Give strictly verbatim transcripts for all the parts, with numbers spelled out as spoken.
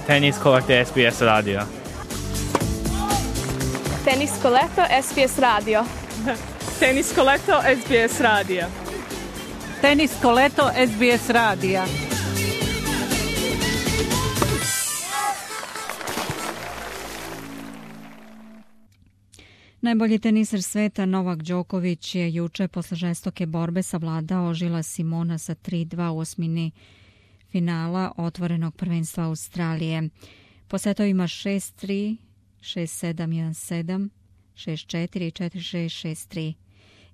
Tenisko leto S B S radio. Tenisko leto S B S radio. Tenisko leto S B S radija. Tenisko leto S B S radija. Najbolji teniser sveta Novak Đoković je juče posle žestoke borbe savladao Žila Simona sa tri dva u osmini finala otvorenog prvenstva Australije. Po setovima šest tri, šest sedam, jedan sedam, šest četiri, četiri šest, šest tri.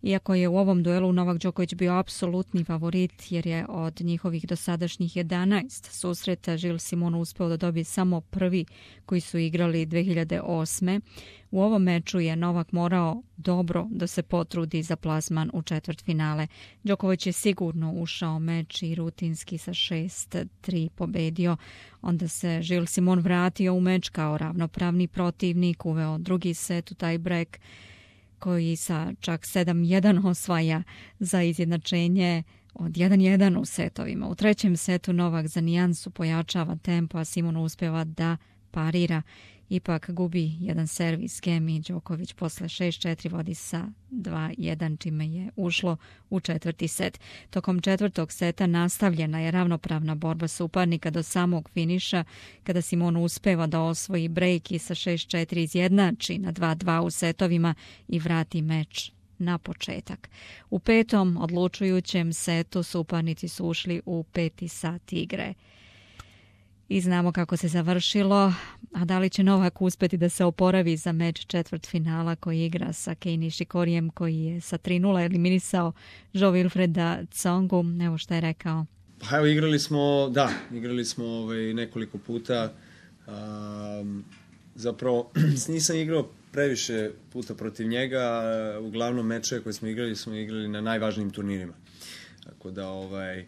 Iako je u ovom duelu Novak Đoković bio apsolutni favorit jer je od njihovih dosadašnjih jedanaest susreta Žil Simon uspeo da dobije samo prvi koji su igrali dve hiljade osme. U ovom meču je Novak morao dobro da se potrudi za plasman u četvrtfinale. Đoković je sigurno ušao meč i rutinski sa šest tri pobedio. Onda se Žil Simon vratio u meč kao ravnopravni protivnik, uveo drugi set u taj break koji sa čak sedam jedan osvaja za izjednačenje od jedan jedan u setovima. U trećem setu Novak za nijansu pojačava tempo, a Simon uspeva da parira. Ipak gubi jedan servis gem i Đoković posle šest četiri vodi sa dva jedan, čime je ušlo u četvrti set. Tokom četvrtog seta nastavljena je ravnopravna borba suparnika do samog finiša, kada Simon uspeva da osvoji break i sa šest četiri izjednači na dva dva u setovima i vrati meč na početak. U petom odlučujućem setu suparnici su ušli u peti sat igre. I znamo kako se završilo, a da li će Novak uspeti da se oporavi za meč četvrtfinala koji igra sa Kei Nishikorijem, koji je sa tri nula eliminisao Jo-Wilfreda Tsongu. Evo šta je rekao. Pa evo, igrali smo, da, igrali smo ovaj, nekoliko puta. Um, zapravo, nisam igrao previše puta protiv njega. Uglavnom meče koje smo igrali, smo igrali na najvažnijim turnirima. Tako da ovaj,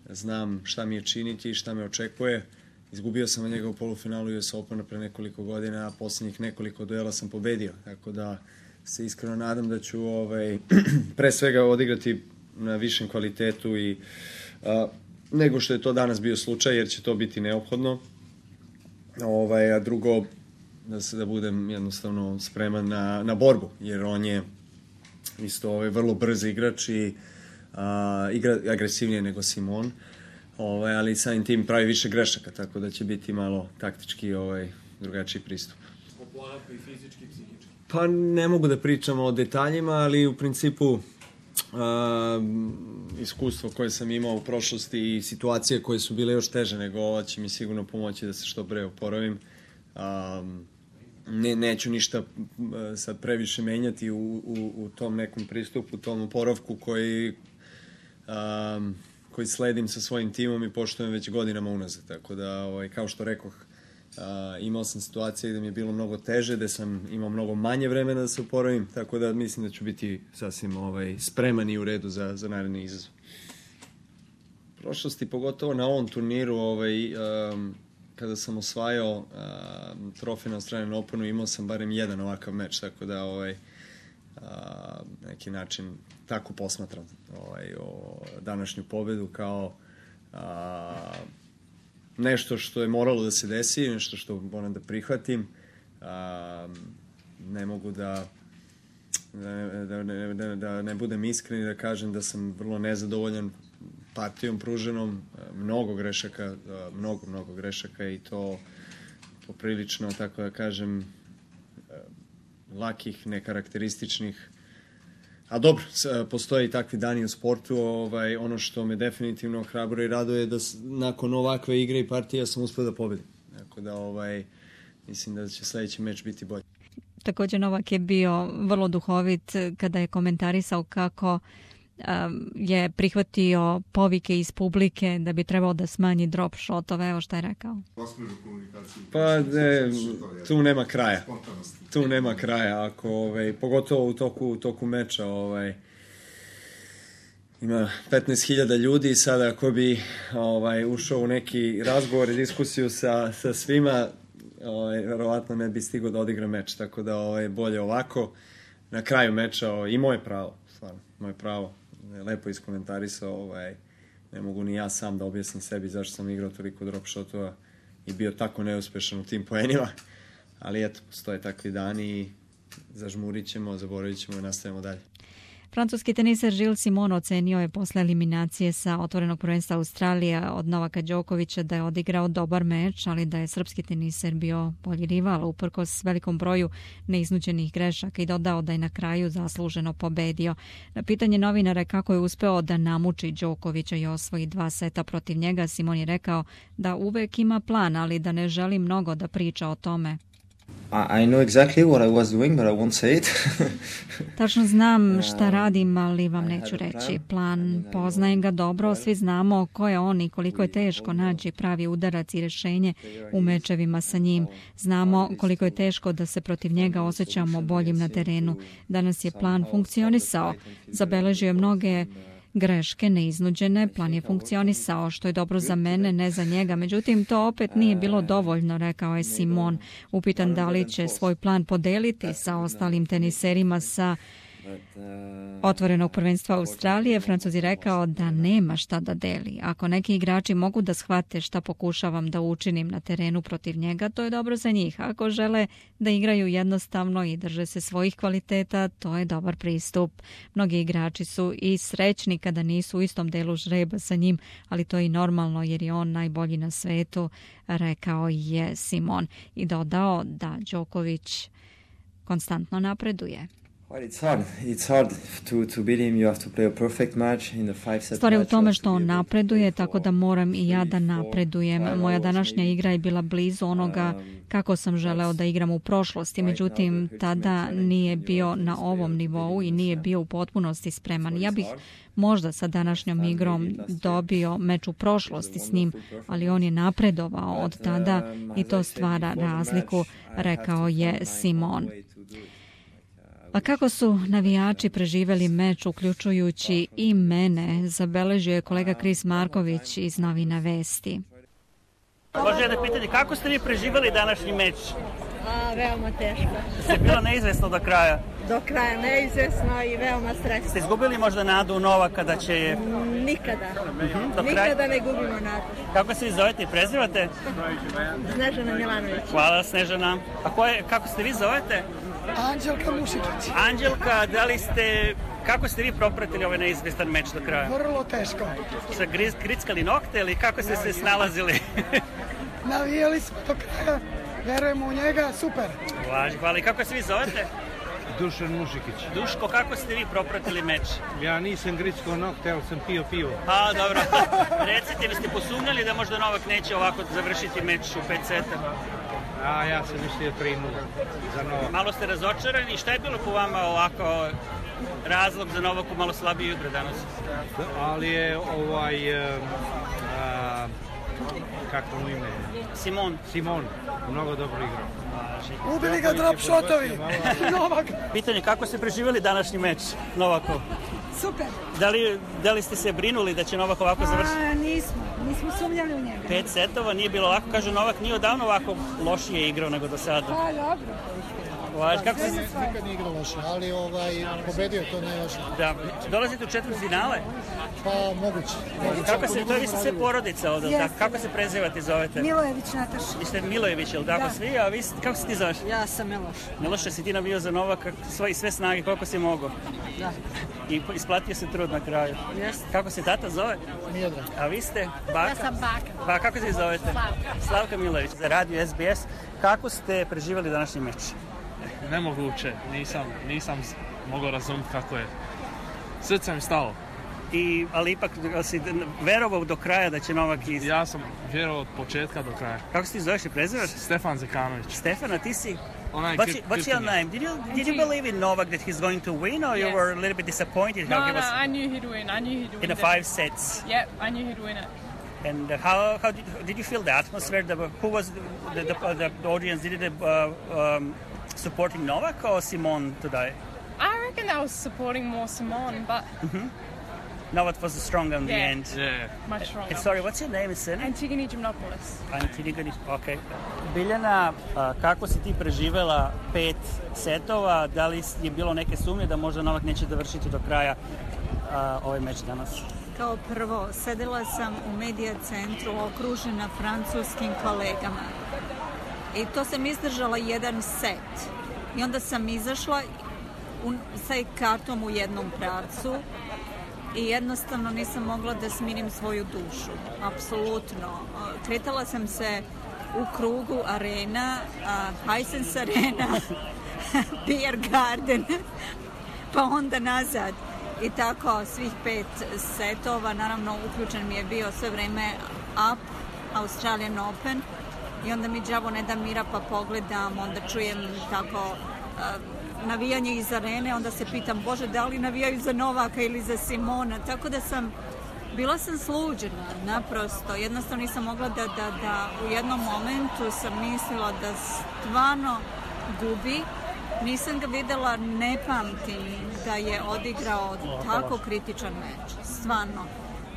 znam šta mi je činiti i šta me očekuje. Izgubio sam od njega u polufinalu U S Opena pre nekoliko godina, a posljednjih nekoliko duela sam pobedio. Tako da se iskreno nadam da ću ovaj, pre svega odigrati na višem kvalitetu i a, nego što je to danas bio slučaj, jer će to biti neophodno. Ovaj, a drugo, da se da budem jednostavno spreman na, na borbu, jer on je isto ovaj, vrlo brz igrač i a, igra agresivnije nego Simon. Ovaj, ali samim tim pravi više grešaka, tako da će biti malo taktički ovaj, drugačiji pristup. Oporavka i fizički i psihički? Pa ne mogu da pričam o detaljima, ali u principu uh, iskustvo koje sam imao u prošlosti i situacije koje su bile još teže nego ova će mi sigurno pomoći da se što pre oporavim. Um, ne, neću ništa sad previše menjati u, u, u tom nekom pristupu, u tom oporavku koji... Um, koji sledim sa svojim timom i poštujem već godinama unazad. Tako da, ovaj, kao što rekoh, a, imao sam situacije gde mi je bilo mnogo teže, gde sam imao mnogo manje vremena da se oporavim, tako da mislim da ću biti sasvim ovaj, spreman i u redu za, za naredni izazov. U prošlosti, pogotovo na ovom turniru, ovaj, um, kada sam osvajao um, trofej na Australian Openu, imao sam barem jedan ovakav meč, tako da ovaj, a, neki način tako posmatram ovaj, o današnju pobedu kao a, nešto što je moralo da se desi, nešto što moram da prihvatim. A, ne mogu da da, da, da, da ne budem iskren i da kažem da sam vrlo nezadovoljan partijom pruženom, mnogo grešaka, mnogo, mnogo grešaka i to poprilično, tako da kažem, lakih, nekarakterističnih. A dobro, postoje i takvi dani u sportu. Ovaj, ono što me definitivno hrabro i raduje je da nakon ovakve igre i partija sam uspio da pobedim. Tako da ovaj, mislim da će sledeći meč biti bolji. Također Novak je bio vrlo duhovit kada je komentarisao kako um, je prihvatio povike iz publike da bi trebao da smanji drop shotove. Evo šta je rekao. Pa ne, tu nema kraja. Tu nema kraja. Ako, ovaj, pogotovo u toku, u toku meča ovaj, ima petnaest hiljada ljudi i sada ako bi ovaj, ušao u neki razgovor i diskusiju sa, sa svima, ovaj, verovatno ne bi stigao da odigra meč. Tako da ovaj, bolje ovako. Na kraju meča ovaj, i moje pravo, stvarno, moje pravo. Lepo iskomentarisao, ovaj, ne mogu ni ja sam da objasnim sebi zašto sam igrao toliko drop shotova i bio tako neuspešan u tim poenima, ali eto, postoje takvi dani i zažmurit ćemo, zaboravit ćemo i nastavimo dalje. Francuski teniser Gilles Simon ocenio je posle eliminacije sa otvorenog prvenstva Australije od Novaka Đokovića da je odigrao dobar meč, ali da je srpski teniser bio bolji rival uprkos velikom broju neiznuđenih grešaka i dodao da je na kraju zasluženo pobedio. Na pitanje novinara kako je uspeo da namuči Đokovića i osvoji dva seta protiv njega, Simon je rekao da uvek ima plan, ali da ne želi mnogo da priča o tome. I know exactly what I was doing, but I won't say it. Tačno znam šta radim, ali vam neću reći. Plan, poznajem ga dobro, svi znamo ko je on i koliko je teško naći pravi udarac i rešenje u mečevima sa njim. Znamo koliko je teško da se protiv njega osjećamo boljim na terenu. Danas je plan funkcionisao. Zabeležio je mnoge greške neiznuđene, plan je funkcionisao, što je dobro za mene, ne za njega. Međutim, to opet nije bilo dovoljno, rekao je Simon. Upitan da li će svoj plan podeliti sa ostalim teniserima sa otvorenog prvenstva Australije, Francuz je rekao da nema šta da deli. Ako neki igrači mogu da shvate šta pokušavam da učinim na terenu protiv njega, to je dobro za njih. Ako žele da igraju jednostavno i drže se svojih kvaliteta, to je dobar pristup. Mnogi igrači su i srećni kada nisu u istom delu žreba sa njim, ali to je i normalno jer je on najbolji na svetu, rekao je Simon. I dodao da Đoković konstantno napreduje. Stvar je u tome što on napreduje, tako da moram i ja da napredujem. Moja današnja igra je bila blizu onoga kako sam želeo da igram u prošlosti, međutim tada nije bio na ovom nivou i nije bio u potpunosti spreman. Ja bih možda sa današnjom igrom dobio meč u prošlosti s njim, ali on je napredovao od tada i to stvara razliku, rekao je Simon. A kako su navijači preživeli meč, uključujući i mene, zabeležio je kolega Kris Marković iz Novina Vesti. Može jedno pitanje, kako ste vi preživeli današnji meč? A, veoma teško. Ste bilo neizvesno do kraja? Do kraja neizvesno i veoma stresno. Ste izgubili možda nadu u Novaka da će je... Nikada. Uh-huh, Nikada kraja... ne gubimo nadu. Kako se vi zovete i prezivate? Snežana Milanović. Hvala, Snežana. A ko je, kako ste vi zovete? Anđelka Mušikić. Anđelka, da li ste... Kako ste vi propratili ovaj neizvestan meč do kraja? Vrlo teško. Sa griz, grickali nokte ili kako ste se snalazili? Navijeli smo do kraja, verujemo u njega, super. Hvala, hvala. I kako se vi zovete? Dušan Mušikić. Duško, kako ste vi propratili meč? Ja nisam grickao nokte, ali sam pio pivo. A, dobro. Recite, vi ste posumnjali da možda Novak neće ovako završiti meč u pet seta? A, ja sam mislio tri nula za Novak. Malo ste razočarani. Šta je bilo po vama ovako razlog za Novaku malo slabije igre danas? Da, ali je ovaj... A, a, kako mu ime? Simon. Simon, mnogo dobro igrao. Ubili ga drop shotovi. Novak. Pitanje, kako ste preživjeli današnji meč Novakov? Super. Da li, da li ste se brinuli da će Novak ovako završiti? A, nismo. Nismo sumnjali u njega. Pet setova nije bilo lako. Kažu, Novak nije odavno ovako lošije igrao nego do sada. Pa, dobro. Vaš, kako se... Nikad nije igrao loše, ali ovaj, pobedio to najloše. Da, dolazite u četvrt finale? Pa, moguće. moguće. Kako se, to je vi ste sve porodica ovdje, yes. Kako se prezivate, zovete? Milojević Nataša. Vi ste Milojević, jel tako svi? A vi, kako se ti zoveš? Ja sam Miloš. Miloše, si ti navio za Novaka sve, sve snage, koliko si mogao? Da. I isplatio se trud na kraju. Jeste. Kako se tata zove? Miodrag. A vi ste? Baka? Ja sam Baka. Pa kako se zovete? Slavka. Slavka Milojević. Za radio S B S. Kako ste preživjeli današnji meč? Nemoguće, nisam, nisam mogao razumjeti kako je. Srce mi stalo. I, ali ipak si verovao do kraja da će Novak iz... Ja sam vjerovao od početka do kraja. Kako se ti zoveš i prezivaš? Stefan Zekanović. Stefan, a ti si? Onaj what's, what's your name? Did you did you believe in Novak that he's going to win, or yes. you were a little bit disappointed? No, how he no, was I knew he'd win. I knew he'd win. In the five sets. Yep, I knew he'd win it. And uh, how how did did you feel the atmosphere? The, who was the the, the, the audience? Did it uh, um, supporting Novak or Simon today? I reckon they was supporting more Simon, but mm-hmm. Novak was strong in yeah. the end. Yeah, much stronger. And sorry, what's your name? Is it Antigone Gymnopoulos. Antigone, okay. Biljana, kako si ti preživela pet setova? Da li je bilo neke sumnje da možda Novak neće dovršiti do kraja uh, ovaj meč danas? Kao prvo, sedela sam u medija centru okružena francuskim kolegama. I to sam izdržala jedan set. I onda sam izašla u, sa kartom u jednom pravcu i jednostavno nisam mogla da smirim svoju dušu. Apsolutno. Kretala sam se u krugu arena, uh, Hisense Arena, Beer Garden, pa onda nazad. I tako svih pet setova, naravno uključen mi je bio sve vreme Up, Australian Open, i onda mi đavo ne da mira pa pogledam, onda čujem tako uh, navijanje iz arene, onda se pitam, Bože, da li navijaju za Novaka ili za Simona, tako da sam, bila sam sluđena, naprosto, jednostavno nisam mogla da, da, da u jednom momentu sam mislila da stvarno gubi. Nisam ga videla, ne pamtim da je odigrao tako kritičan meč, stvarno.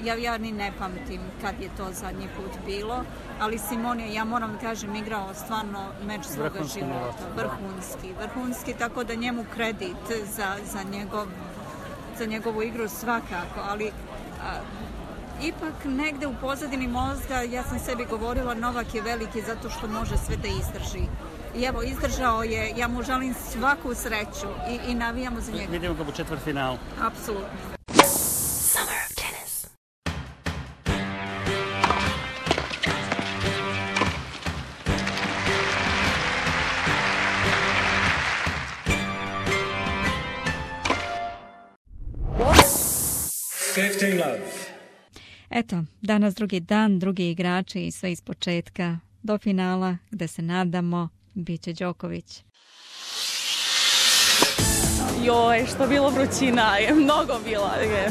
Ja, ja ni ne pamtim kad je to zadnji put bilo, ali Simon je, ja moram kažem, igrao stvarno meč svoga života, vrhunski, vrhunski, tako da njemu kredit za, za, njegov, za njegovu igru svakako, ali a, ipak negde u pozadini mozga ja sam sebi govorila Novak je veliki zato što može sve da izdrži. I evo, izdržao je, ja mu želim svaku sreću i, i navijamo za njega. Vidimo ga u četvrtfinalu. Apsolutno. Summer of tennis. fifteen love. Eto, danas drugi dan, drugi igrači i sve iz početka do finala, gde se nadamo bit će Đoković. Joj, što bilo vrućina je, mnogo bila je.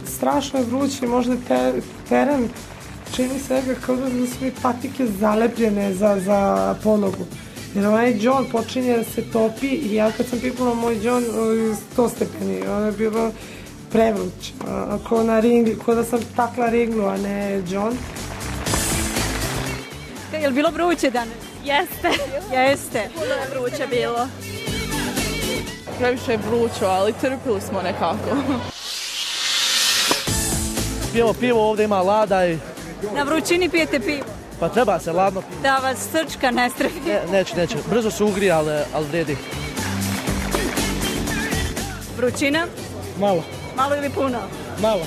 Strašno je vruće, možda te, teren čini sebe kao da su sve patike zalepljene za, za ponogu. Jer onaj džon počinje da se topi i ja kad sam pipula moj džon sto stepeni, ono je bilo prevruć, ko, na ringli, ko da sam takla ringlu, a ne džon. Je li bilo vruće danas? Jeste. Jeste. Puno je vruće bilo. Previše je vrućo, ali trpili smo nekako. Pijemo pivo, ovdje ima lada i... Na vrućini pijete pivo? Pa treba se, ladno pivo. Da vas srčka ne strefi. Ne, neće, neće. Brzo se ugri, ali, ali vredi. Vrućina? Malo. Malo ili puno? Malo.